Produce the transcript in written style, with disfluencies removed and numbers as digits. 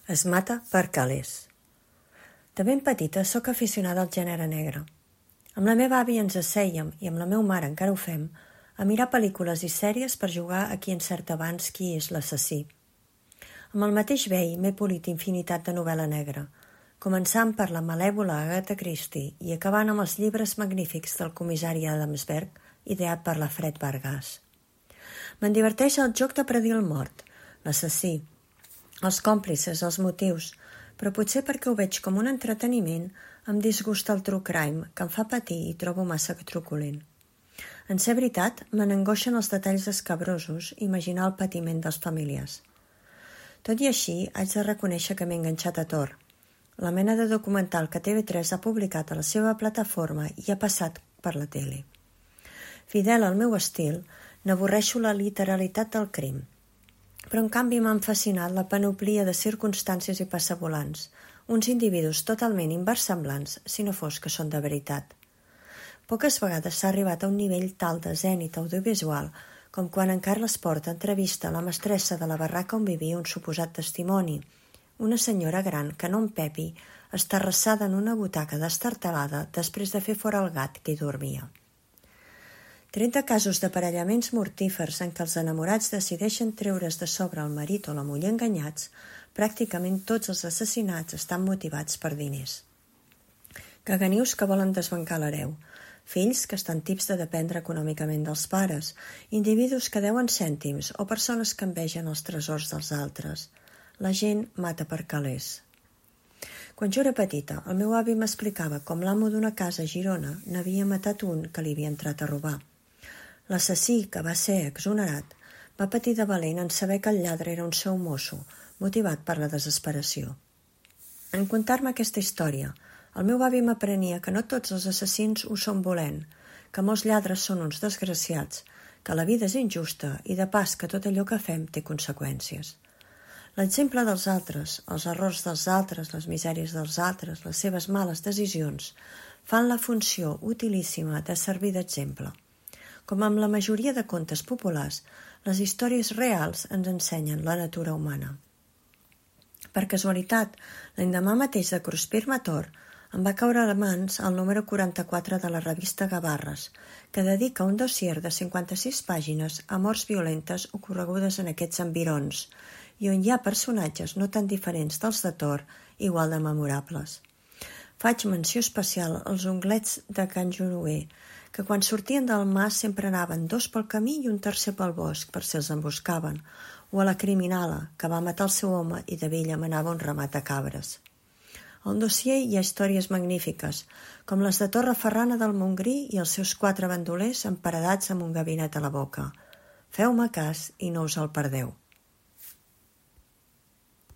Es mata per calés. De ben petita sóc aficionada al gènere negre. Amb la meva àvia ens assèiem, i amb la meva mare encara ho fem, a mirar pel·lícules i sèries per jugar a qui encerta abans qui és l'assassí. Amb el mateix vell m'he polit infinitat de novel·la negra, començant per la malèvola Agatha Christie i acabant amb els llibres magnífics del comissari Adamsberg, ideat per la Fred Vargas. Me'n diverteix el joc de predir el mort, l'assassí, els còmplices, els motius, però potser perquè ho veig com un entreteniment em disgusta el true crime, que em fa patir i trobo massa truculent. En ser veritat, me n'angoixen els detalls escabrosos i imaginar el patiment dels familiars. Tot i així, haig de reconèixer que m'he enganxat a Tor, la mena de documental que TV3 ha publicat a la seva plataforma i ha passat per la tele. Fidel al meu estil, n'avorreixo la literalitat del crim, però en canvi m'han fascinat la panoplia de circumstàncies i passavolants, uns individus totalment inversemblants, si no fos que són de veritat. Poques vegades s'ha arribat a un nivell tal de zènit audiovisual com quan en Carles Porta entrevista la mestressa de la barraca on vivia un suposat testimoni, una senyora gran que no en Pepi està arrassada en una butaca destartalada després de fer fora el gat que hi dormia. 30 casos d'aparellaments mortífers en què els enamorats decideixen treure's de sobre el marit o la muller enganyats, pràcticament tots els assassinats estan motivats per diners. Caganius que volen desbancar l'hereu, fills que estan tips de dependre econòmicament dels pares, individus que deuen cèntims o persones que envegen els tresors dels altres. La gent mata per calés. Quan jo era petita, el meu avi m'explicava com l'amo d'una casa a Girona n'havia matat un que li havia entrat a robar. L'assassí, que va ser exonerat, va patir de valent en saber que el lladre era un seu mosso, motivat per la desesperació. En contar-me aquesta història, el meu avi m'aprenia que no tots els assassins ho són volent, que molts lladres són uns desgraciats, que la vida és injusta i de pas que tot allò que fem té conseqüències. L'exemple dels altres, els errors dels altres, les misèries dels altres, les seves males decisions, fan la funció utilíssima de servir d'exemple. Com amb la majoria de contes populars, les històries reals ens ensenyen la natura humana. Per casualitat, l'endemà mateix de cruspir-me a Tor, em va caure a les mans el número 44 de la revista Gavarres, que dedica un dossier de 56 pàgines a morts violentes ocorregudes en aquests environs, i on hi ha personatges no tan diferents dels de Tor, igual de memorables. Faig menció especial als onglets de Can Junuer, que quan sortien del mas sempre anaven 2 pel camí i un tercer pel bosc per si els emboscaven, o a la criminala, que va matar el seu home i de vella manava un ramat de cabres. Al dossier hi ha històries magnífiques, com les de Torreferrana del Montgrí i els seus 4 bandolers emparedats amb un gabinet a la boca. Feu-me cas i no us el perdeu.